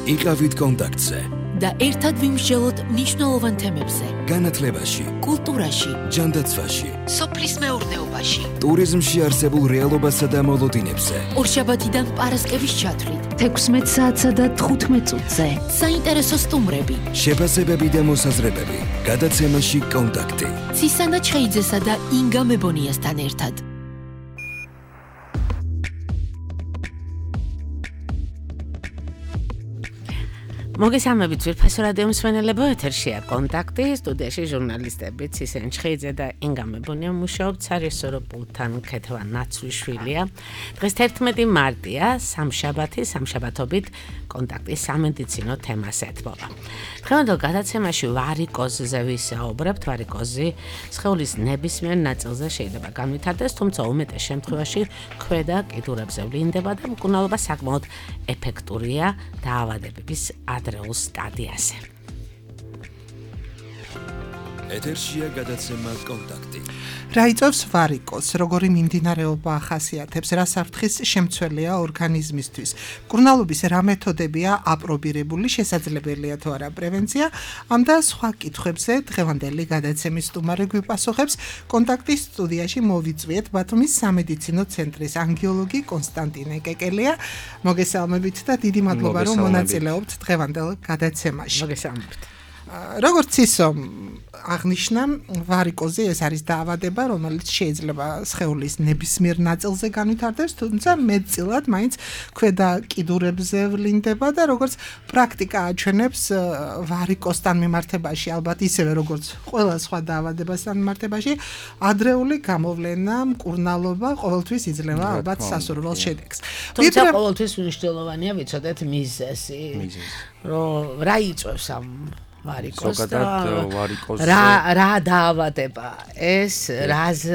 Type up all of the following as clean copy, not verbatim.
იყავით კონტაქტზე და ერთად ვიმსჯელოთ მნიშვნელოვან თემებზე. განათლებაში, კულტურაში, ჯანდაცვაში, სოფლის მეურნეობაში, ტურიზმში არსებულ რეალობასა და მოლოდინებზე. ორშაბათიდან პარასკევის ჩათვლით 16 საათსა და 15 წუთზე. საინტერესო სტუმრები, შეფასებები და მოსაზრებები. გადაცემაში კონტაქტი. ცისანა ჩხეიძესა და ინგა მებონიასთან ერთად. მოგესალმებით ძვირფასო რადიო მსმენელებო, ეთერშია კონტაქტი, სტუდიაში ჟურნალისტები ცისენ ჩხეიძე და ინგა მებონია მუშაობთ სარეჟისორო პულტთან ქეთევან ნაცვლიშვილია. დღეს 11 მარტია, სამშაბათობით კონტაქტის სამედიცინო თემას ეთმობა. დღევანდელ გადაცემაში ვარიკოზზე ვისაუბრებთ. ვარიკოზი სხეულის ნებისმიერ ნაწილზე შეიძლება განვითარდეს, თუმცა უმეტეს შემთხვევაში ქვედა კიდურებზე ვლინდება და მკურნალობა საკმაოდ ეფექტურია დაავადებების ადრეულ სტადიაზე. ეთერშია გადაცემა კონტაქტი. რა იწვევს ვარიკოზს, როგორი მიმდინარეობა ახასიათებს, რა საფრთხის შემცველია ორგანიზმისთვის, მკურნალობის რა მეთოდებია აპრობირებული, შესაძლებელია თუ არა პრევენცია, ამ და სხვა კითხვებზე დღევანდელი გადაცემის სტუმარი გვიპასუხებს. კონტაქტის სტუდიაში მოვიწვიეთ ბათუმის სამედიცინო ცენტრის ანგიოლოგი კონსტანტინე კეკელია. მოგესალმებით და დიდი მადლობა რომ მონაწილეობთ დღევანდელ გადაცემაში. მოგესალმებით. როგორც ისო აღნიშნა, ვარიკოზი ეს არის დაავადება, რომელიც შეიძლება სხეულის ნებისმიერ ნაწილზე განვითარდეს, თუმცა მეტწილად მაინც ქვედა კიდურებზე ვლინდება და როგორც პრაქტიკა აჩვენებს, ვარიკოზთან მიმართებაში, ალბათ ისევე როგორც ყველა სხვა დაავადებასთან მიმართებაში, ადრეული გამოვლენა, მკურნალობა ყოველთვის იძლევა ალბათ სასურველ შედეგს. თუმცა ყოველთვის მნიშვნელოვანია ვიცოდეთ მიზეზი, რომ რა იწვევს ამ ვარიკოზს და რა დაავადება ეს, რას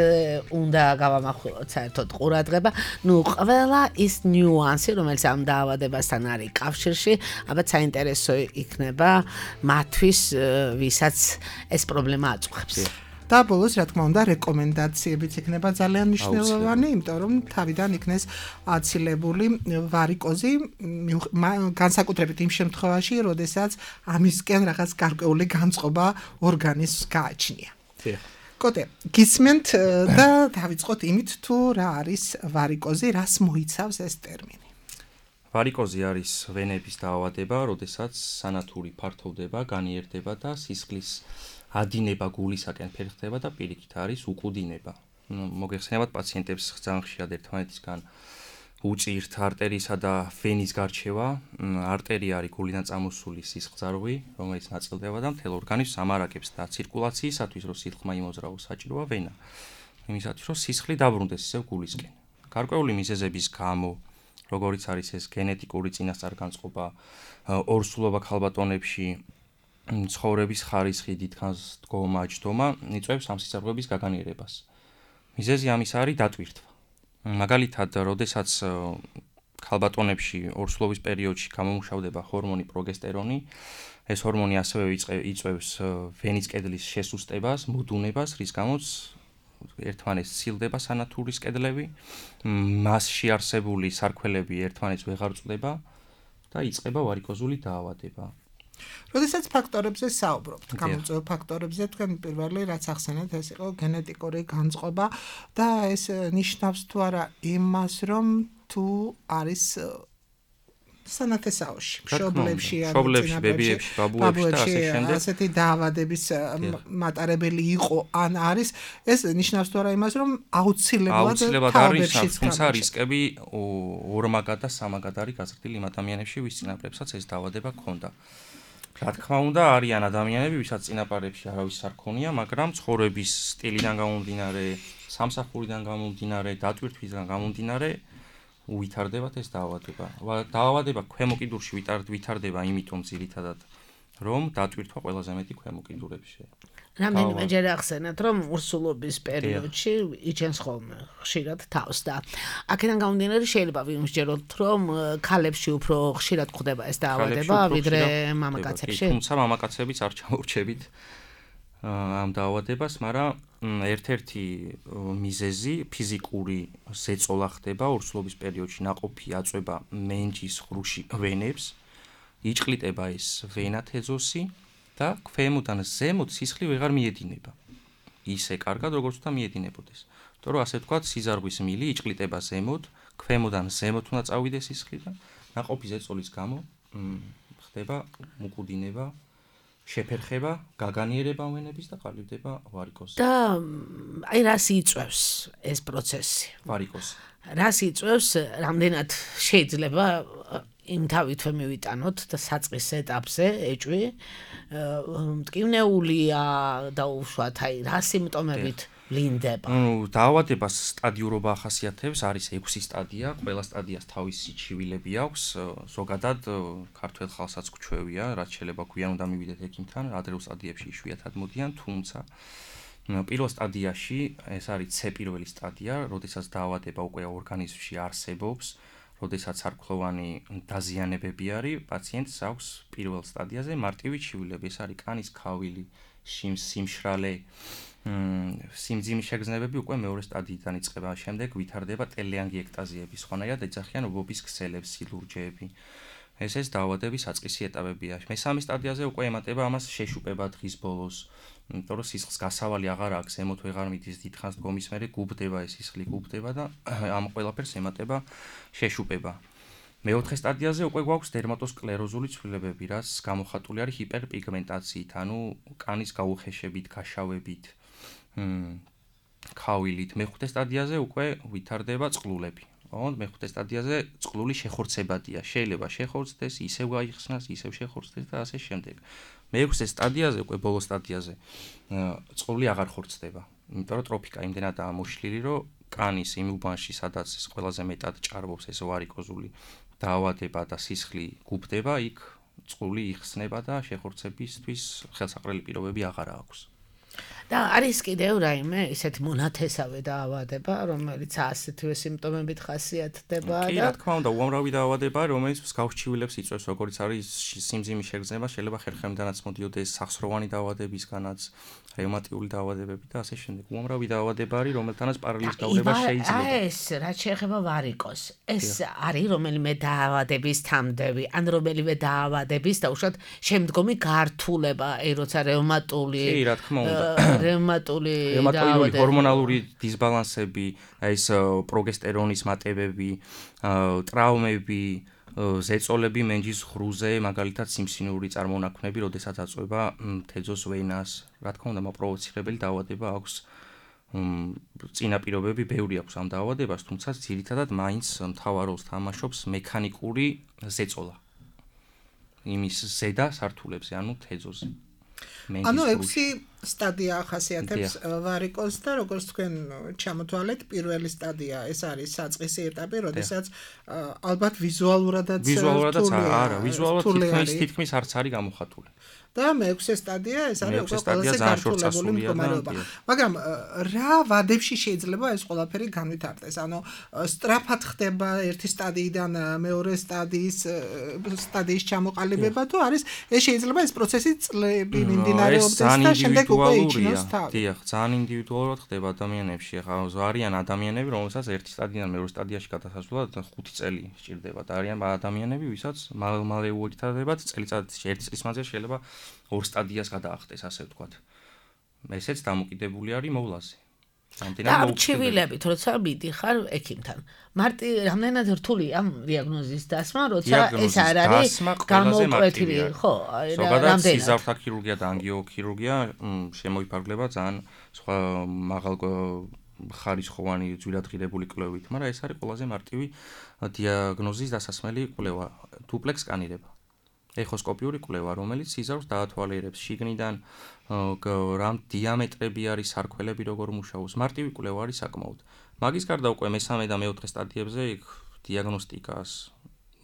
უნდა გავამახვილოთ საერთოდ ყურადღება. ყველა ის ნიუანსი, რომელიც ამ დაავადებასთან არის კავშირში, ალბათ საინტერესო იქნება მათთვის, ვისაც ეს პრობლემა აწუხებს. და ბოლოს, რა თქმა უნდა, რეკომენდაციებიც იქნება ძალიან მნიშვნელოვანი, იმიტომ რომ თავიდან იქნეს აცილებული ვარიკოზი, განსაკუთრებით იმ შემთხვევაში, როდესაც ამისკენ რაღაც გარკვეული განწყობა ორგანიზმს გააჩნია. კოტე, გისმენთ და დავიწყოთ იმით, თუ რა არის ვარიკოზი, რას მოიცავს ეს ტერმინი. ვარიკოზი არის ვენების დაავადება, როდესაც სანათური ფართოვდება, განიერდება და სისხლის ადინება გულისაკენ ფერხდება და პირიქით არის უკუდინება. მოგეხსენებათ პაციენტებს ძალიან ხშირად ერთმანეთისგან უჭირთ არტერიისა და ვენის გარჩევა. არტერია არის გულიდან წამოსული სისხლძარღვი, რომელიც ნაწილდება და მთელ ორგანიზმს ამარაგებს და ცირკულაციისათვის, რომ სითხმა იმოძრავოს, საჭიროა ვენა. იმისათვის, რომ სისხლი დაბრუნდეს ისევ გულისკენ. გარკვეული მიზეზების გამო, როგორიც არის ეს გენეტიკური წინასწარგანწყობა, ორსულობა ქალბატონებში, ცხოვრების ხარისხი, დიდხანს დგომა, ჯდომა იწვევს ამ სისხლძარღვების გაგანიერებას. მიზეზი ამის არის დატვირთვა. მაგალითად, როდესაც ქალბატონებში ორსულობის პერიოდში გამომუშავდება ჰორმონი პროგესტერონი, ეს ჰორმონი ასევე იწვევს ვენის კედლის შესუსტებას, მოდუნებას, რის გამოც ერთმანეთს სცილდება სანათურის კედლები, მასში არსებული სარქველები ერთმანეთს ვეღარ წვდება და იწყება ვარიკოზული დაავადება. როდესაც ფაქტორებზე საუბრობთ, გამოწვევ ფაქტორებზე, თქვენ პირველი რაც ახსენეთ, ეს იყო გენეტიკური განწყობა და ეს ნიშნავს თუ არა იმას, რომ თუ არის სანათესაოში, მშობლებში, ბებიებში, ბაბუებში და ასე შემდეგ, ასეთი დაავადების მატარებელი იყო ან არის, ეს ნიშნავს თუ არა იმას, რომ აუცილებლად არის, თუმცა რისკები ორმაგად და სამაგად არის გაზრდილი იმ ადამიანებში, ვის წინაპრებსაც ეს დაავადება ჰქონდა. რა თქმა უნდა, არიან ადამიანები, ვისაც წინაპარებში არავის არ ქონია, მაგრამ ცხოვრების სტილიდან გამომდინარე, სამსახურიდან გამომდინარე, დატვირთვისგან გამომდინარე, უვითარდებათ ეს დაავადება. დაავადება ქვემო კიდურში ვითარდება იმიტომ ძირითადად, რომ დატვირთვა ყველაზე მეტი ქვემო კიდურებში. რამდენიმეჯერ ახსენეთ, რომ ორსულობის პერიოდში იჩენს ხოლმე ხშირად თავს და აქედან გამომდინარე შეიძლება ვიმსჯეროთ, რომ ქალებში უფრო ხშირად გვხდება ეს დაავადება, ვიდრე მამაკაცებში. თუმცა მამაკაცებიც არ ჩამორჩებით ამ დაავადებას, მაგრამ ერთ-ერთი მიზეზი ფიზიკური ზეწოლა ხდება ორსულობის პერიოდში, ნაყოფი აწვება მენჯის ღრუში ვენებს იჭყლიტება ეს ვენა თეზოსი და ქვემოდან ზემოთ სისხლი ვეღარ მიედინება. ისე კარგად როგორც უნდა მიედინებოდეს. იმიტომ რომ ასე ვთქვათ, სიზარღვის მილი იჭყლიტება ზემოთ, ქვემოდან ზემოთ უნდა წავიდეს სისხლი და ნაყოფი ზეწოლის გამო ხდება მუკუდინება, შეფერხება, გაგანიერება ვენების და ყალიბდება ვარიკოზი. და აი რას იწვევს ეს პროცესი? ვარიკოზი. რას იწვევს, რამდენად შეიძლება იმ თავითვე მივიტანოთ და საწყის ეტაპზე ეჭვი მტკივნეულია და უშუალოდ აი რა სიმპტომებით ვლინდება? დაავადებას სტადიურობა ახასიათებს, არის 6 სტადია, ყველა სტადიას თავისი ჩივილები აქვს, ზოგადად ქართველ ხალხსაც გვჩვევია, რაც შეიძლება გვიან უნდა მივიდეთ ექიმთან, ადრეულ სტადიებში იშვიათად მოდიან, თუმცა პირველ სტადიაში ეს არის C პირველი სტადია, როდესაც დაავადება უკვე ორგანიზმში არსებობს, როდესაც არქლოვანი დაზიანებები არის, პაციენტს აქვს პირველ სტადიაზე მარტივი ჩივილები, ეს არის კანის ქავილი, სიმშრალე, სიმძიმის შეგრძნებები უკვე მეორე სტადიიდან იწყება, შემდეგ ვითარდება ტელეანგიექტაზიები, სხვანაირად ეძახიან ობობის ქსელებს, სილურჯეები. ეს დაავადების საწყისი ეტაპებია. მესამე სტადიაზე უკვე ემატება ამას შეშუპება დღის ბოლოს. იმიტომ რომ სისხლის გასავალი აღარ აქვს, ზემოთ ვეღარ მიდის, დიდხანს დგომის მერე გუბდება ეს სისხლი გუბდება და ამ ყველაფერს ემატება შეშუპება. მეოთხე სტადიაზე უკვე გვაქვს დერმატოსკლეროზული ცვლილებები, რაც გამოხატული არის ჰიპერპიგმენტაციით, ანუ კანის გაუხეშებით, გაშავებით, ქავილით. მეხუთე სტადიაზე უკვე ვითარდება წყლულები. მეხუთე სტადიაზე წყლული შეხორცებადია, შეიძლება შეხორცდეს, ისევ გაიხსნას, ისევ შეხორცდეს და ასე შემდეგ. მეექვსე სტადიაზე, უკვე ბოლო სტადიაზე, წყლული აღარ ხორცდება. იმიტომ რომ ტროფიკა იმდენადაა მოშლილი, რომ კანის იმ უბანში, სადაც ყველაზე მეტად ჭარბობს ეს ვარიკოზული დაავადება და სისხლი გუბდება, იქ წყლული იხსნება და შეხორცებისთვის ხელსაყრელი პირობები აღარ აქვს. და არის კიდევ რაიმე ისეთი მონათესავე დაავადება, რომელიც ასეთივე სიმპტომებით ხასიათდება კი, რა თქმა უნდა, უამრავი დაავადება, რომელიც მსგავს ჩივილებს იწვევს, როგორც არის სიმძიმის შეგრძნება, შეიძლება ხერხემდანაც მოდიოდეს, სახსროვანი დაავადებისგანაც, რევმატიული დაავადებები და ასე შემდეგ. უამრავი დაავადება არის, რომელთანაც პარალელის დაავადება შეიძლება. ეს რაც შეეხება ვარიკოზს, ეს არის რომელიმე დაავადების თამდები, ან რომელიმე დაავადების და უშუალოდ შემდგომი გართულება, როცა რევმატული კი, რა თქმა უნდა. რევმატული ჰორმონალური დისბალანსები, ეს პროგესტერონის მატებები, ტრავმები, ზეწოლები მენჯის ღრუზე, მაგალითად სიმსინური წარმონაქმნები, როდესაც აწვება თეზოს ვენას, რა თქმა უნდა, მოპროვოცირებელი დაავადება აქვს. წინაპირობები ბევრი აქვს ამ დაავადებას, თუმცა ძირითადად მაინც მთავარ როლს თამაშობს მექანიკური ზეწოლა. იმის ზედა სართულებზე, ანუ თეზოზე. ანუ 6 სტადია ახასიათებს ვარიკოზს და როგორც თქვენ ჩამოთვალეთ, პირველი სტადია ეს არის საწყისი ეტაპი, როდესაც ალბათ ვიზუალურადაც არა, ვიზუალურად თითქმის არც არის გამოხატული. და მეექვსე სტადია ეს არის უკვე ყველაზე გართულებული მდგომარეობა. მაგრამ რა ვადებში შეიძლება ეს ყველაფერი განვითარდეს? ანუ სწრაფად ხდება ერთი სტადიიდან მეორე სტადიის ჩამოყალიბება თუ არის ეს შეიძლება ეს პროცესი წლები მიმდინარეობდეს და შემდეგ უკვე იჩნოს თავი. დიახ, ძალიან ინდივიდუალურად ხდება ადამიანებში. ახლა არიან ადამიანები, რომელსაც ერთი სტადიიდან მეორე სტადიაში გადასასვლელად 5 წელი სჭირდება და არიან ადამიანები, ვისაც მალე უვითარდებათ წელიწადში, ერთი წლის მანძილში შეიძლება 2 სტადიას გადაახტეს, ასე ვთქვათ. ესეც დამოკიდებული არის მოვლაზე. არჩივილებით, როცა მიდიხარ ექიმთან. რამდენად რთულია დიაგნოზის დასმა, როცა ეს არ არის გამოუკვეთილი, ხო? ზოგადად სიზართა ქირურგია და ანგიოქირურგია შემოიფარგლება ძალიან სხვა მაღალ ხარისხოვანი ძვირადღირებული კვლევით, მაგრამ ეს არის ყველაზე მარტივი დიაგნოზის დასასმელი კვლევა, დუპლექს სკანირება. ეხოსკოპიური კვლევა, რომელიც სიზარს დაათვალიერებს შიგნიდან, რამ დიამეტრები არის, სარქველები როგორ მუშაობს. მარტივი კვლევა არის საკმაოდ. მაგის გარდა უკვე მესამე და მეოთხე სტადიებზე იქ დიაგნოსტიკას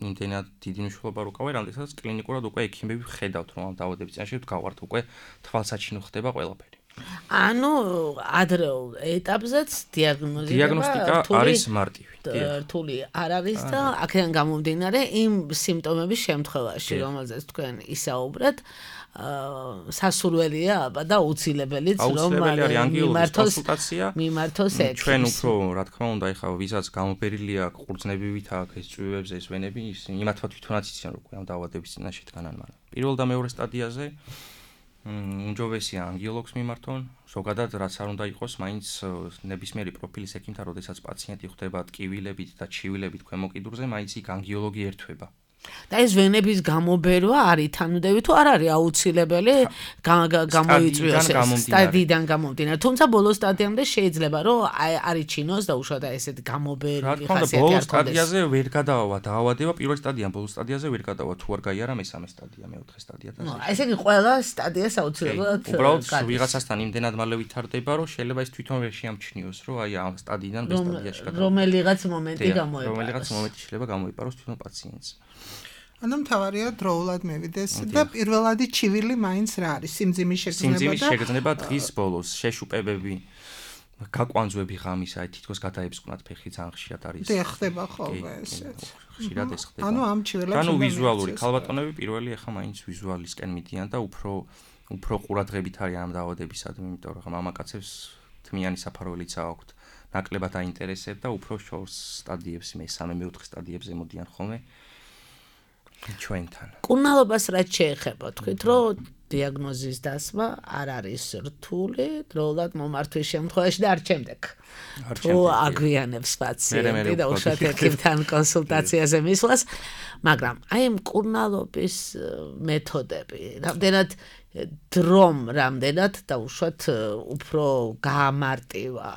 იმდენად დიდი მნიშვნელობა რუკავია, რამდენსაც კლინიკურად უკვე ექიმები ხედავთ, რომ ამ დაავადების წინაშე გავართ უკვე თვალსაჩინო ხდება ყველაფერი. ანუ ადრეულ ეტაპზეც დიაგნოსტიკა არის მარტივი. რთული არ არის და აქედან გამომდინარე იმ სიმპტომების შემთხვევაში, რომელზეც თქვენ ისაუბრეთ, სასურველია აბა და აუცილებელიც რომ მიმართოს ეს. ჩვენ უფრო რა თქმა უნდა ეხლა ვისაც გამოფერილი აქვს ყურძნებივით აქვს ეს წვივებზე ეს ვენები იმათმა თვითონაც იციან რომ ამ დაავადების წინაშე დგანან, მაგრამ პირველ და მეორე სტადიაზე უმჯობესია ანგიოლოგს მიმართონ, ზოგადად რაც არ უნდა იყოს, მაინც ნებისმიერი პროფილის ექიმთან, როდესაც პაციენტი ხვდება ტკივილებით და ჩივილებით ქვემო კიდურზე, მაინც იქ ანგიოლოგი ერთვება. და ეს ვენების გამობერვა არის თანუდები თუ არ არის აუცილებელი გამოიწვიოს სტადიიდან გამომდინარე. თუმცა ბოლო სტადიამდე შეიძლება რომ არიჩინოს და უშუალოდ ესეთი გამობერილი ხასიათი არ ბოლო სტადიაზე ვერ გადავა დაავადება, პირველ სტადიიდან ბოლო სტადიაზე ვერ გადავა, თუ არ გაიარა მესამე სტადია, მეოთხე სტადია და ესე იგი ყველა სტადიას აუცილებლად უბრალოდ ვიღაცასთან იმდენად მალე ვითარდება, რომ შეიძლება ის თვითონ ვერ შეამჩნიოს, რომ აი ამ სტადიიდან ბ სტადიაში გადავა. რომელიღაც მომენტი გამოიყაროს. რომელიღაც მომენტი შეიძლება გამოიყაროს თვითონ პაციენტს. ანუ მთავარია დროულად მევიდეს და პირველადი ჩივილი მაინც რა არის? სიმძიმის შეგრძნება დღის ბოლოს, შეშუპებები, გაკვანძვები ღამის, აი თითქოს გადაებსკვნათ ფეხი ძალიან ხშირად არის. და ხდება ხოლმე ესეც. ხშირად ეს ხდება. ანუ ამ ჩივილებს ანუ ვიზუალური ქალბატონები პირველი ახლა მაინც ვიზუალისკენ მიდიან და უფრო ყურადღებით არის ამ დაავადებისადმი, იმიტომ რომ მამაკაცებს თმიანი საფარველიც აქვთ. ნაკლებად აინტერესებდა და უფრო შორს სტადიებს, მესამე, მეოთხე სტადიებზე მოდიან ხოლმე. ჩვენთან. კურნალობას რაც შეეხება, თქვით რომ დიაგნოზის დასმა არ არის რთული, დროულად მომართვის შემთხვევაში და არ შემდეგ. თუ აგვიანებს პაციენტი და უშუალოდ ექიმთან კონსულტაციაზე მისვლას, მაგრამ აი ამ კურნალობის მეთოდები, რამდენად დრომ, რამდენად და უშუალოდ უფრო გაამარტივა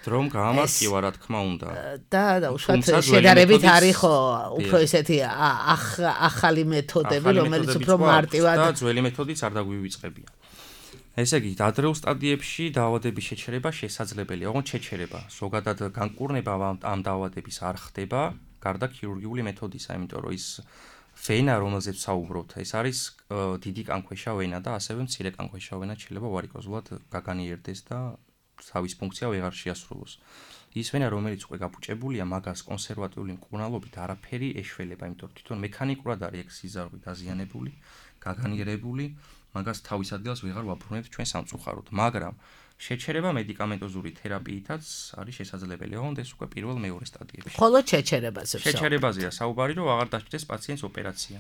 რომ გაამარტივა რა თქმა უნდა და უშუალოდ შედარებით არის ხო უფრო ესეთი ახალი მეთოდები რომელიც უფრო მარტივად და ძველი მეთოდიც არ დაგვივიწყებია. ესე იგი ადრეულ სტადიებში დაავადების შეჩერება შესაძლებელია, ოღონდ შეჩერება, ზოგადად განკურნება ამ დაავადების არ ხდება გარდა ქირურგიული მეთოდისა, იმიტომ რომ ის ვენა რომელზეც საუბრობთ, ეს არის დიდი კანქვეშა ვენა და ასევე მცირე კანქვეშა ვენა შეიძლება ვარიკოზულად გაგანიერდეს და თავის ფუნქცია ვეღარ შეასრულოს. ის ვენა რომელიც უკვე გაბუჭებულია, მაგას კონსერვატიული მკურნალობით არაფერი ეშველება, იმიტომ რომ თვითონ მექანიკურად არის ეგ სიზარღვი დაზიანებული, გაგანიერებული, მაგას თავის ადგილას ვეღარ ვაბრუნებთ ჩვენ სამწუხაროდ, მაგრამ შეჩერება მედიკამენტოზური თერაპიითაც არის შესაძლებელი, ოღონდ ეს უკვე პირველ მეორე სტადიებში. ხოლო შეჩერებაზე შეჩერებაზეა საუბარი, რომ აღარ დაჭდეს პაციენტს ოპერაცია.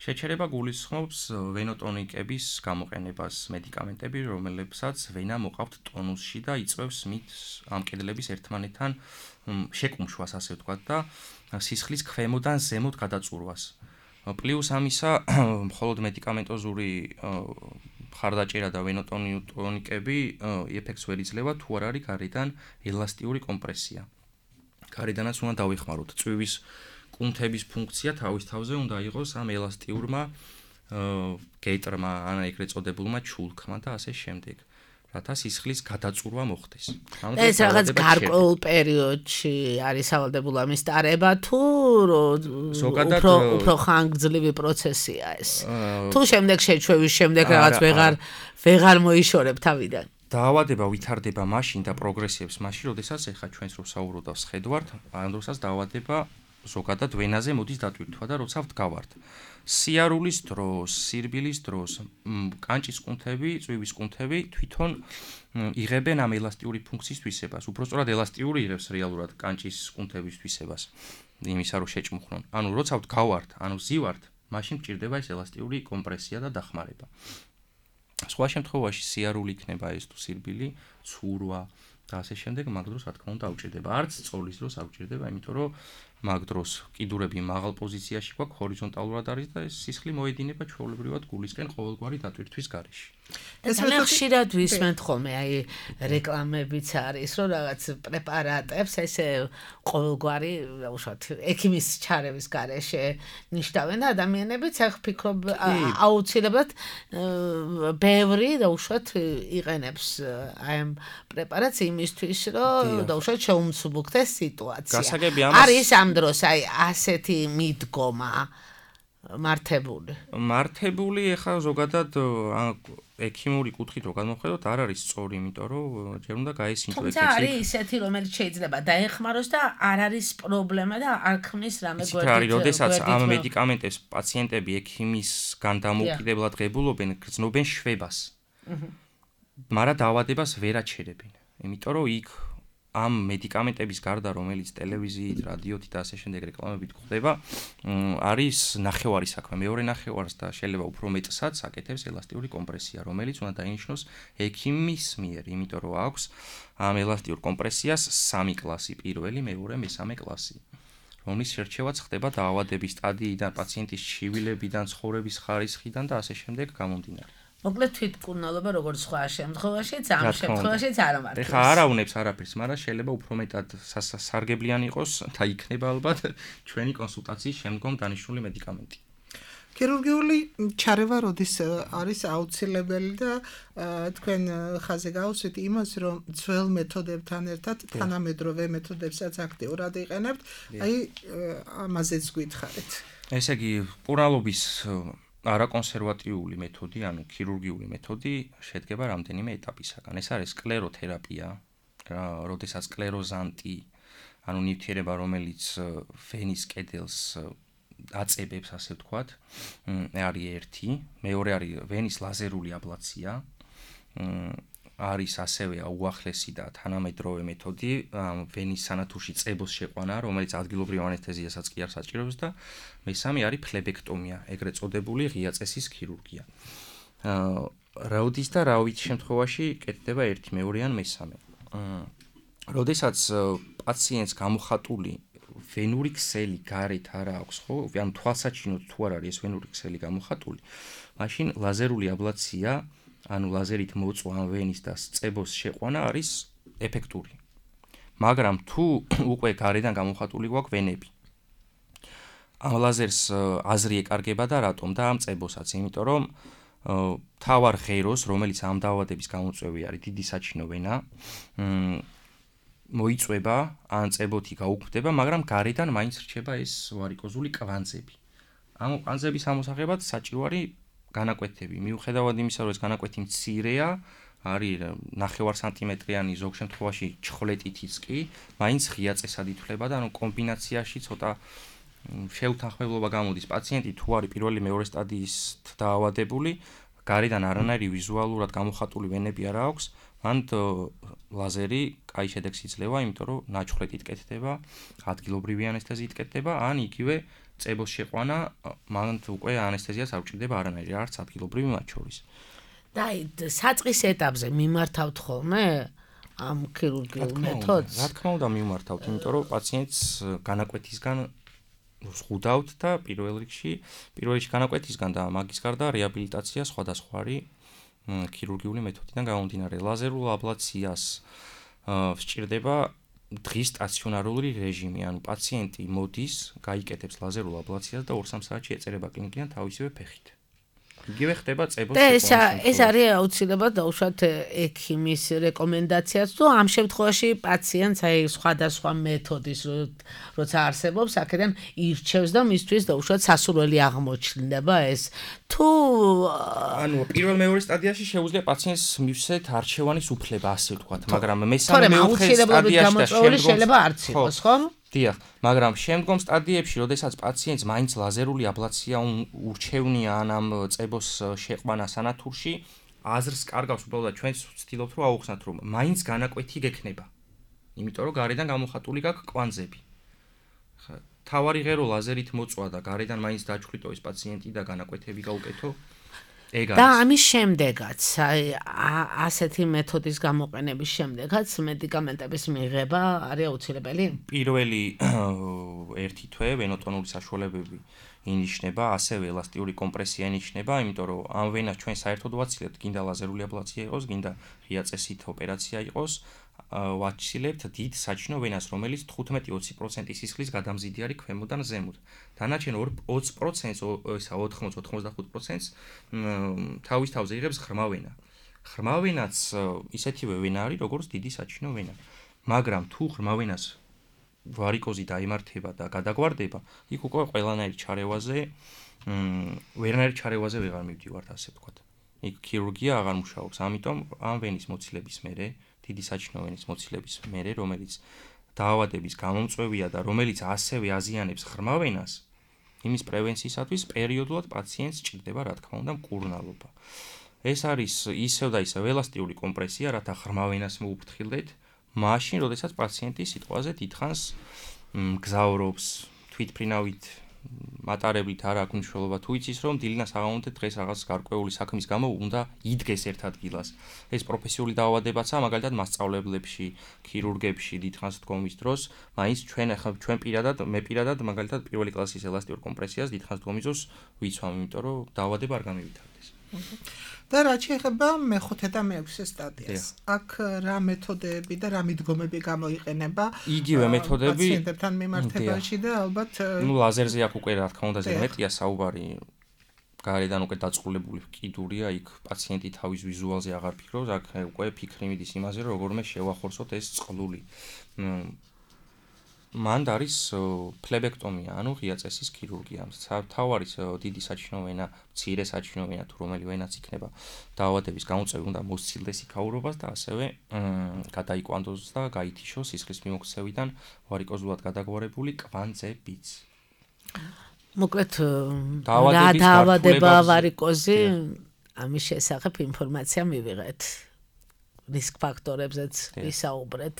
შეჩერება გულისხმობს ვენოტონიკების გამოყენებას, მედიკამენტები, რომელებსაც ვენა მოყავთ ტონუსში და იწვევს მით ამ კედლების ერთმანეთთან შეკუმშვას, ასე ვთქვათ, და სისხლის ქვემოდან ზემოთ გადაწურვას. პლუს ამისა, მხოლოდ მედიკამენტოზური მხარდაჭერა და ვენოტონიკები ეფექტს ვერ იძლევა, თუ არ არის გარედან ელასტიური კომპრესია. გარედანაც უნდა დავიხმაროთ. წვივის კუნთების ფუნქცია თავის თავზე უნდა იყოს ამ ელასტიურმა გეიტრმა, ან ეგრეთ წოდებულმა ჩულქმა და ასე შემდეგ. რათა სისხლის გადაწურვა მოხდეს. ეს რაღაც გარკვეულ პერიოდში არის სავალდებულო ამის ტარება თუ ზოგადად უფრო ხანგრძლივი პროცესია ეს. თუ შემდეგ შეჩვევის შემდეგ რაღაც ვეღარ მოიშორებ თავიდან. დაავადება ვითარდება მაშინ და პროგრესიებს მაშინ, როდესაც ეხა ჩვენს რო საუბრობთ და ვსხედვართ, ამ დროსაც დაავადება ზოგადად ვენაზე მოდის დატვირთვა და როცა ვდგავართ. სიარულის დროს, სირბილის დროს, კანჭის კუნთები, წვივის კუნთები თვითონ იღებენ ამ ელასტიური ფუნქციის თვისებას. უბრალოდ ელასტიური იღებს რეალურად კანჭის კუნთების თვისებას. იმისა რომ შეჭმუხნონ. ანუ როცა ვდგავართ, ანუ ზივართ, მაშინ მჭირდება ეს ელასტიური კომპრესია და დახმარება. სხვა შემთხვევაში სიარული იქნება ეს თუ სირბილი, ცურვა და ასე შემდეგ, მაგ დროს რა თქმა უნდა აუჭირდება. არც წოლის დროს აუჭირდება, იმიტომ რომ მაგ დროს კიდურები მაღალ პოზიციაში გვაქვს, ჰორიზონტალურად არის და ეს სისხლი მოედინება ჩვეულებრივად გულისკენ ყოველგვარი დატვირთვის გარეშე. ეს ძალიან ხშირად ვისმენთ ხოლმე, აი რეკლამებიც არის, რომ რაღაც პრეპარატებს ესე ყოველგვარი, უშუალოდ ექიმის ჩარევის გარეშე ნიშნავენ და ადამიანებიც ახ ფიქრობ აუცილებლად ბევრი და უშუალოდ იყენებს აი ამ პრეპარატს იმისთვის, რომ და უშუალოდ შეუმსუბუქდეს სიტუაცია. არის ამ დროს აი ასეთი მიდგომა მართებული. მართებული ეხლა ზოგადად ექიმური კუთხით რო გადმოვხედოთ, არ არის სწორი, იმიტომ რომ ჯერ უნდა გაესინჯო ეგეთი. თუმცა არის ისეთი, რომელიც შეიძლება დაეხმაროს და არ არის პრობლემა და არ ქმნის რამე გვერდით. ის არის, როდესაც ამ მედიკამენტებს პაციენტები ექიმისგან დამოუკიდებლად ღებულობენ, გრძნობენ შვებას. მაგრამ დაავადებას ვერ აჩერებენ. იმიტომ რომ იქ ამ მედიკამენტების გარდა, რომელიც ტელევიზიით, რადიოთი და ასე შემდეგ რეკლამებით გვხდება, არის ნახევარი საქმე. მეორე ნახევარს და შეიძლება უფრო მეტსაც აკეთებს ელასტიური კომპრესია, რომელიც უნდა დაინიშნოს ექიმის მიერ, იმიტომ რომ აქვს ამ ელასტიურ კომპრესიას 3 კლასი, პირველი, მეორე, მესამე კლასი. რომლის შერჩევაც ხდება დაავადების სტადიიდან, პაციენტის ჩივილებიდან, ცხოვრების ხარისხიდან და ასე შემდეგ გამომდინარე. მოკლედ თვითმკურნალობა როგორც სხვა შემთხვევაშიც, ამ შემთხვევაშიც არ ამართლებს. ეხლა არ აუნებს არაფერს, მაგრამ შეიძლება უფრო მეტად სარგებლიანი იყოს და იქნება ალბათ ჩვენი კონსულტაციის შემდგომ დანიშნული მედიკამენტი. ქირურგიული ჩარევა როდის არის აუცილებელი და თქვენ ხაზე გავუსვით იმას, რომ ძველ მეთოდებთან ერთად თანამედროვე მეთოდებსაც აქტიურად იყენებთ, აი ამაზეც გითხარით. ესე იგი, მკურნალობის არაკონსერვატიული მეთოდი, ანუ ქირურგიული მეთოდი შედგება რამდენიმე ეტაპისაგან. ეს არის სკლეროთერაპია, როდესაც სკლეროზანტი, ანუ ნივთიერება, რომელიც ვენის კედელს აწებებს, ასე ვთქვათ, არის ერთი, მეორე არის ვენის ლაზერული აბლაცია, არის ასევე უახლესი და თანამედროვე მეთოდი, ვენის სანათურში წებოს შეყვანა, რომელიც ადგილობრივ ანესთეზიასაც კი არ საჭიროებს და მესამე არის ფლებექტომია, ეგრეთ წოდებული ღია წესის ქირურგია. როდის და რა ვიცი შემთხვევაში კეთდება ერთი, მეორე ან მესამე. როდესაც პაციენტს გამოხატული ვენური ქსელი გარეთ არ აქვს, ხო? ანუ თვალსაჩინოდ თუ არ არის ეს ვენური ქსელი გამოხატული, მაშინ ლაზერული აბლაცია, ანუ ლაზერით მოწვა ამ ვენის და წებოს შეყვანა არის ეფექტური. მაგრამ თუ უკვე გარედან გამოხატული გვაქვს ვენები, ამ ლაზერს აზრი ეკარგება და რატომ და ამ წებოსაც, იმიტომ რომ თავარ ღეროს, რომელიც ამ დაავადების გამოწვევი არის, დიდი საჩინო ვენა, მოიწვება, ან წებოთი გაუქმდება, მაგრამ გარედან მაინც რჩება ეს ვარიკოზული კვანძები. ამ კვანძების ამოსაღებად საჭირო არის განაკვეთები. მიუხედავად იმისა, რომ ეს განაკვეთი მცირეა, არის 9 სანტიმეტრიანი, ზოგ შემთხვევაში ჩხლეტითიც კი, მაინც ღია წესად ითვლება და ანუ კომბინაციაში ცოტა შეუთანხმებლობა გამოდის. პაციენტი თუ არის პირველი მეორე სტადიის დაავადებული, გარედან არანაირი ვიზუალურად გამოხატული ვენები არ აქვს, მან ლაზერი კაი შედეგს იძლევა, იმიტომ რომ ნაჩხლეტით კეთდება, ადგილობრივი ანესთეზიით კეთდება, ან იგივე წებოს შეყვანა, მან უკვე ანესთეზიას არ უჭირდება არანაირი, არც ადგილობრივი მათ შორის. და საწყის ეტაპზე მიმართავთ ხოლმე ამ ქირურგიულ მეთოდს? რა თქმა უნდა მიმართავთ, იმიტომ რომ პაციენტს განაკვეთისგან ზღუდავთ და პირველ რიგში განაკვეთისგან და მაგის გარდა რეაბილიტაცია სხვადასხვა არის ქირურგიული მეთოდიდან გამომდინარე. ლაზერულ აბლაციას სჭირდება დღის სტაციონარული რეჟიმი, ანუ პაციენტი მოდის, გაიკეთებს ლაზერულ აბლაციას და 2-3 საათში ეწერება კლინიკიდან თავისივე ფეხით. იგივე ხდება წებოს შეყვანა. ეს არის აუცილებლად დაუშვათ ექიმის რეკომენდაციაც, თუ ამ შემთხვევაში პაციენტს აი სხვადასხვა მეთოდის როცა არსებობს, აქედან ირჩევს და მისთვის დაუშვათ სასურველი აღმოჩნდება ეს. თუ ანუ პირველ მეორე სტადიაში შეუძლია პაციენტს მივსეთ არჩევანის უფლება, ასე ვთქვათ, მაგრამ მესამე მეოთხე სტადიაში და შეიძლება არც იყოს, ხო? დიახ, მაგრამ შემდგომ სტადიებში, როდესაც პაციენტს მაინც ლაზერული აბლაცია ურჩევნია ან ამ წებოს შეყვანა სანათურში, აზრს კარგავს უბრალოდ ჩვენც ვცდილობთ რომ აუხსნათ, რომ მაინც განაკვეთი გექნება. იმიტომ რომ გარედან გამოხატული გაქვს კვანძები. თავარი ღერო ლაზერით მოწვა და გარედან მაინც დაჩხლიტო ეს პაციენტი და განაკვეთები გაუკეთო. და ამის შემდეგაც, აი ასეთი მეთოდის გამოყენების შემდეგაც მედიკამენტების მიღება არის აუცილებელი? პირველი 1 თვე ვენოტონური საშუალებები ინიშნება, ასევე ელასტიური კომპრესია ინიშნება, იმიტომ რომ ამ ვენას ჩვენ საერთოდ ვაცილებთ, გინდა ლაზერული აბლაცია იყოს, გინდა ღია წესით ოპერაცია იყოს, ვაჩილებთ დიდ საჩინო ვენას, რომელიც 15-20% სისხლის გადამზიდი არის ქვემოდან ზემოთ. დანარჩენ 20%-ს, ისა 80-85%-ს თავის თავზე იღებს ღრმა ვენა. ღრმა ვენაც ისეთივე ვენა არის, როგორც დიდი საჩინო ვენა. მაგრამ თუ ღრმა ვენას ვარიკოზი დაიმართება და გადაგვარდება, იქ უკვე ყველანაირ ჩარევაზე ვერანაირ ჩარევაზე ვეღარ მივდივართ, ასე ვთქვათ. იქ ქირურგია აღარ მუშაობს. ამიტომ ამ ვენის მოცილების მერე, დიდი საჩინო ვენის მოცილების მერე, რომელიც დაავადების გამომწვევია და რომელიც ასევე აზიანებს ღრმა ვენას, იმის პრევენციისათვის პერიოდულად პაციენტს სჭირდება, რა თქმა უნდა, მკურნალობა. ეს არის ისევ და ისევ ელასტიური კომპრესია, რათა ღრმა ვენას მოუფრთხილდეთ, მაშინ, როდესაც პაციენტი სიტყვაზე დიდხანს მგზავრობს, თვითმფრინავით მატარებლით არ აქვს მნიშვნელობა, თუ იცის, რომ დილინას აღამონდეთ დღეს რაღაც გარკვეული საქმის გამო უნდა იდგეს ერთ ადგილას. ეს პროფესიული დაავადებაცაა, მაგალითად მასწავლებლებში, ქირურგებში დიდხანს დგომის დროს, მაინც ჩვენ პირადად მაგალითად პირველი კლასის ელასტიურ კომპრესიას დიდხანს დგომის დროს ვიცვამ, იმიტომ რომ დაავადება არ გამივითარდეს. და რაც შეეხება მეხუთე და მეექვსე სტადიას, აქ რა მეთოდები და რა მიდგომები გამოიყენება იგივე მეთოდები პაციენტებთან მიმართებაში და ალბათ ლაზერზე აქ უკვე რა თქმა უნდა ზედმეტია საუბარი, გარედან უკვე დაწყლებული კიდურია, იქ პაციენტი თავის ვიზუალზე აღარ ფიქრობს, აქ უკვე ფიქრი მიდის იმაზე, რომ როგორმე შევახორცოთ ეს წყლული. მანდ არის ფლებექტომია, ანუ ღია წესის ქირურგია. თავარი დიდი საჩინო ვენა, მცირე საჩინო ვენა თუ რომელი ვენაც იქნება დაავადების გამომწვევი უნდა მოსცილდეს იქაურობას და ასევე გადაიკვანდოს და გაითიშოს სისხლის მიმოქცევიდან ვარიკოზულად გადაგვარებული კვანძებიც. მოკლედ რა დაავადება ვარიკოზი, ამის შესახებ ინფორმაცია მივიღეთ. რისკ ფაქტორებზეც ვისაუბრეთ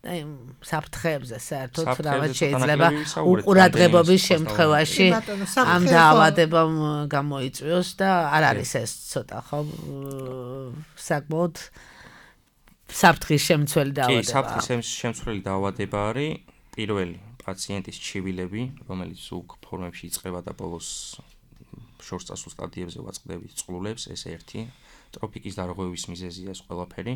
და იმ საფრთხეებზე საერთოდ რაღაც შეიძლება უყურადღებობის შემთხვევაში ამ დაავადებამ გამოიწვიოს და არ არის ეს ცოტა ხო საკმაოდ საფრთხის შემცველი დაავადება. კი, საფრთხის შემცველი დაავადება არის პირველი პაციენტის ჩივილები, რომელიც უკ ფორმებში იწყება და ბოლოს შორს წასულ სტადიებზე ვაწყდებით წყლულებს, ეს ერთი. ტროფიკის დარღვევის მიზეზია ეს ყველაფერი.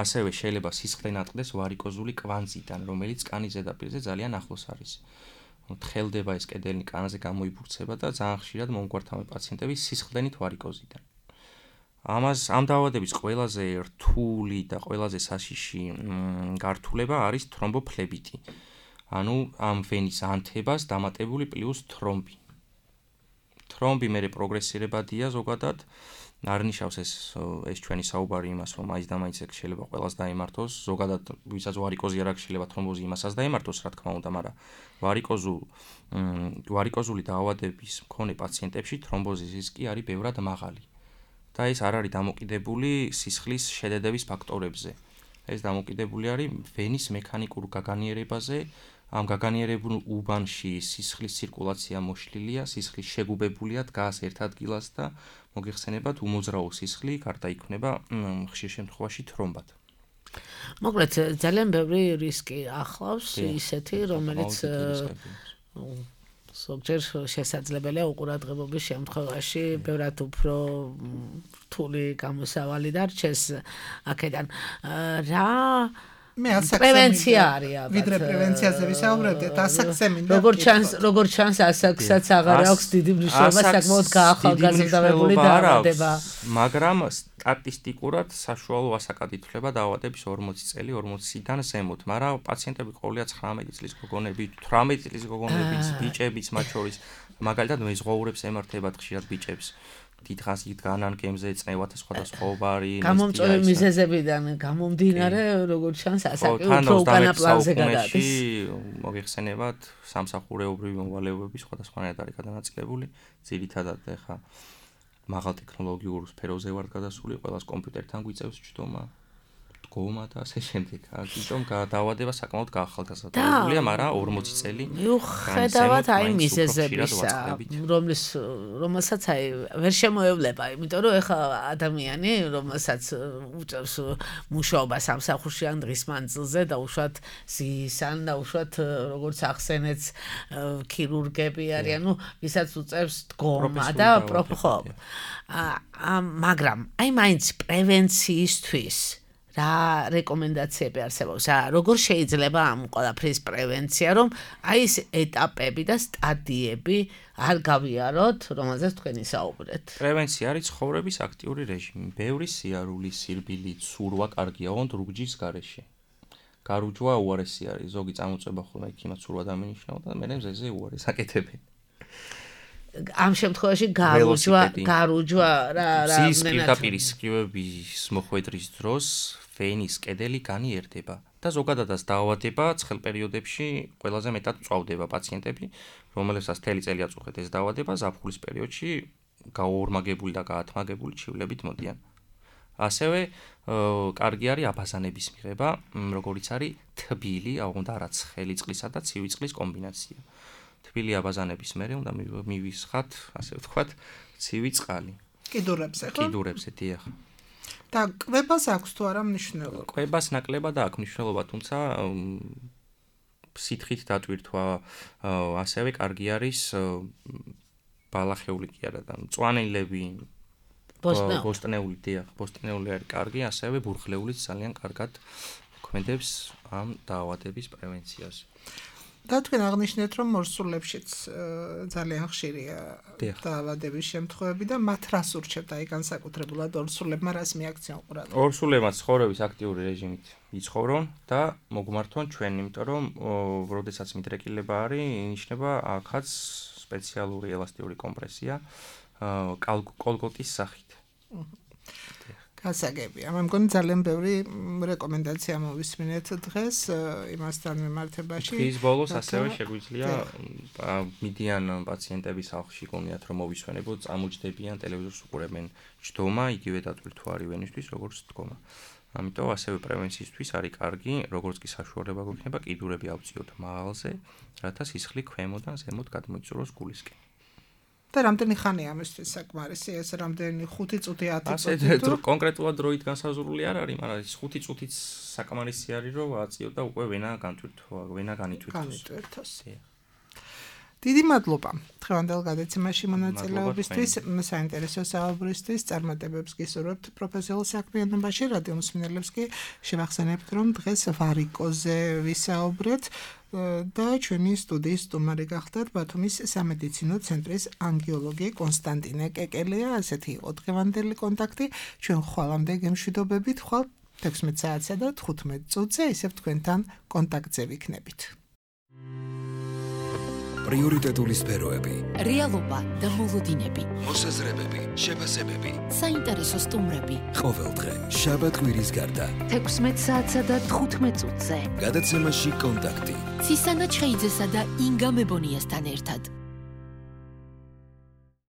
ასევე შეიძლება სისხლი ნატყდეს ვარიკოზული კვანძიდან, რომელიც კანის ზედაპირზე ძალიან ახლოს არის. თხელდება ეს კედელი კანაზე გამოიბურცება და ძალიან ხშირად მომგვართავენ პაციენტები სისხლდენით ვარიკოზიდან. ამ დაავადების ყველაზე რთული და ყველაზე საშიში გართულება არის თრომბოფლებიტი. ანუ ამ ვენის ანთებას დამატებული პლუს თრომბი. თრომბი მერე პროგრესირებადია ზოგადად. არ ნიშნავს ეს ჩვენი საუბარი იმას, რომ მაინც და მაინც შეიძლება ყველას დაემართოს, ზოგადად ვისაც ვარიკოზი არ აქვს შეიძლება თრომბოზი იმასაც დაემართოს, რა თქმა უნდა, მაგრამ ვარიკოზული დაავადების მქონე პაციენტებში თრომბოზის რისკი არის ბევრად მაღალი. და ეს არ არის დამოკიდებული სისხლის შედედების ფაქტორებზე. ეს დამოკიდებული არის ვენის მექანიკურ გაგანიერებაზე. ამ გაგანიერებულ უბანში სისხლის ცირკულაცია მოშლილია, სისხლის შეგუბებულია, დგას ერთ ადგილას და მოგეხსენებათ უმოძრაო სისხლი გარდაიქმნება ხშირ შემთხვევაში თრომბად. მოკლედ ძალიან ბევრი რისკი ახლავს ისეთი, რომელიც ზოგჯერ შესაძლებელია უყურადღებობის შემთხვევაში ბევრად უფრო რთული გამოსავალი დარჩეს აქედან. რა პრევენცია არის, ვიდრე პრევენციაზე ვისაუბრებდით, ასაკზე მინდა. როგორც ჩანს, ასაკსაც აღარ აქვს დიდი მნიშვნელობა, საკმაოდ გაახალგაზრდებული დაავადება. მაგრამ სტატისტიკურად საშუალო ასაკად ითვლება დაავადების 40 წელი, 40-დან ზემოთ, მაგრამ პაციენტები ყოველია 19 წლის გოგონები, 18 წლის გოგონებიც, ბიჭებიც მათ შორის, მაგალითად მეზღვაურებს ემართებათ ხშირად ბიჭებს. დიდხანს იგდანან გემზე წნევათა სხვადასხვაობარი გამომწვევი მიზეზებიდან გამომდინარე, როგორც ჩანს, ასაკი უფრო უკანა პლანზე გადადის. მოგეხსენებათ, სამსახურეობრივი მოვალეობები სხვადასხვანაირად არის გადანაწილებული, ძირითადად ეხა მაღალ ტექნოლოგიურ სფეროზე ვართ გადასული, ყველას კომპიუტერთან გვიწევს ჯდომა, დგომა და ასე შემდეგ. ამიტომ დაავადება საკმაოდ გაახალგაზრდებულია, მაგრამ 40 წელი მიუხედავად აი მიზეზებისა, რომელსაც აი ვერ შემოევლება, იმიტომ რომ ეხა ადამიანი, რომელსაც უწევს მუშაობა სამსახურში ან დღის მანძილზე და უშუალოდ ზისან და უშუალოდ როგორც ახსენეთ ქირურგები არიან, ну, ვისაც უწევს დგომა და ხო. მაგრამ აი მაინც პრევენციისთვის რა რეკომენდაციები არსებობს? როგორ შეიძლება ამ ყველაფრის პრევენცია, რომ აი ეს ეტაპები და სტადიები არ გავიაროთ, რომელზეც თქვენ ისაუბრეთ? პრევენცია არის ცხოვრების აქტიური რეჟიმი. ბევრი სიარული, სირბილი, ცურვა კარგია, ოღონდ რუგჯის გარეშე. გარუჯვა უარესი არის, ზოგი წამოწება ხოლმე იქ იმას ცურვა დამინიშნავ და მე მზეზე უარეს აკეთებენ. ამ შემთხვევაში გარუჯვა რა ზის პირდაპირ სკივების მოხვედრის დროს ვენის კედელი განიერდება და ზოგადადაც დაავადება ცხელ პერიოდებში ყველაზე მეტად წვავდება პაციენტები, რომელებსაც მთელი წელი აწუხეთ ეს დაავადება, ზაფხულის პერიოდში გაორმაგებული და გაათმაგებული ჩივლებით მოდიან. ასევე კარგი არის აბაზანების მიღება, როგორიც არის თბილი, აღუნდა რა ცხელი წყლისა და ცივი წყლის კომბინაცია. თბილი აბაზანების მერე უნდა მივისხათ, ასე ვთქვათ, ცივი წყალი. კიდურებზე ხო? კიდურებზე დიახ. და კვებას აქვს თუ არა მნიშვნელობა? კვებას ნაკლებად აქვს მნიშვნელობა, თუმცა სითხით დატვირთვა ასევე კარგი არის ბალახეული კი არა და მწვანილები ბოსტნეული დიახ, ბოსტნეული არის კარგი, ასევე ბურღლეულიც ძალიან კარგად მოქმედებს ამ დაავადების პრევენციას. და თქვენ აღნიშნეთ, რომ მორსულებშიც ძალიან ხშირია დაავადების შემთხვევები და მათ რას ურჩევთ აი განსაკუთრებულად ორსულებმა რას მიაქციონ ყურადღება? ორსულებმა ცხოვრების აქტიური რეჟიმით იცხოვრონ და მოგმართონ ჩვენ, იმიტომ რომ როდესაც მიდრეკილება არის, ინიშნება აქაც სპეციალური ელასტიური კომპრესია კოლგოტის სახით. გასაგებია. მე მგონი ძალიან ბევრი რეკომენდაცია მოვისმინეთ დღეს იმასთან მიმართებაში. ის ბოლოს ასევე შეგვიძლია მიდიან პაციენტების სახლში გონიათ რომ მოვისვენებოთ, წამოჯდებიან, ტელევიზორს უყურებენ ჯდომა, იგივე დატვირთვა არის ვენისთვის, როგორც დგომა. ამიტომ ასევე პრევენციისთვის არის კარგი, როგორც კი საშუალება გვექნება, კიდურები ავწიოთ მაღალზე, რათა სისხლი ქვემოდან ზემოთ გადმოიწუროს გულისკენ. და რამდენი ხანია ამისთვის საკმარისი ეს რამდენი 5 წუთი 10 წუთი? ასე კონკრეტულად დროით განსაზღვრული არ არის, მაგრამ ის 5 წუთიც საკმარისი არის, რომ აწიოთ და უკვე ვენა განვითვირთოს. დიდი მადლობა დღევანდელ გადაცემაში მონაწილეობისთვის, საინტერესო საუბრისთვის, წარმატებებს გისურვებთ პროფესიულ საქმიანობაში, რადიო მსმენელებს კი შევახსენებთ, რომ დღეს ვარიკოზე ვისაუბრეთ და ჩვენი სტუდიის სტუმარი გახდათ ბათუმის სამედიცინო ცენტრის ანგიოლოგი კონსტანტინე კეკელია. ასეთი იყო დღევანდელი კონტაქტი. ჩვენ ხვალამდე გემშვიდობებით, ხვალ 16 საათსა და 15 წუთზე ისევ თქვენთან კონტაქტზე ვიქნებით. პრიორიტეტული სფეროები, რეალობა და მოლოდინები, მოსაზრებები, შეფასებები, საინტერესო სტუმრები. ყოველდღე შაბათ-კვირის გარდა 16 საათსა და 15 წუთზე. გადაცემაში კონტაქტი. ცისანა ჩხეიძესა და ინგა მებონიასთან ერთად.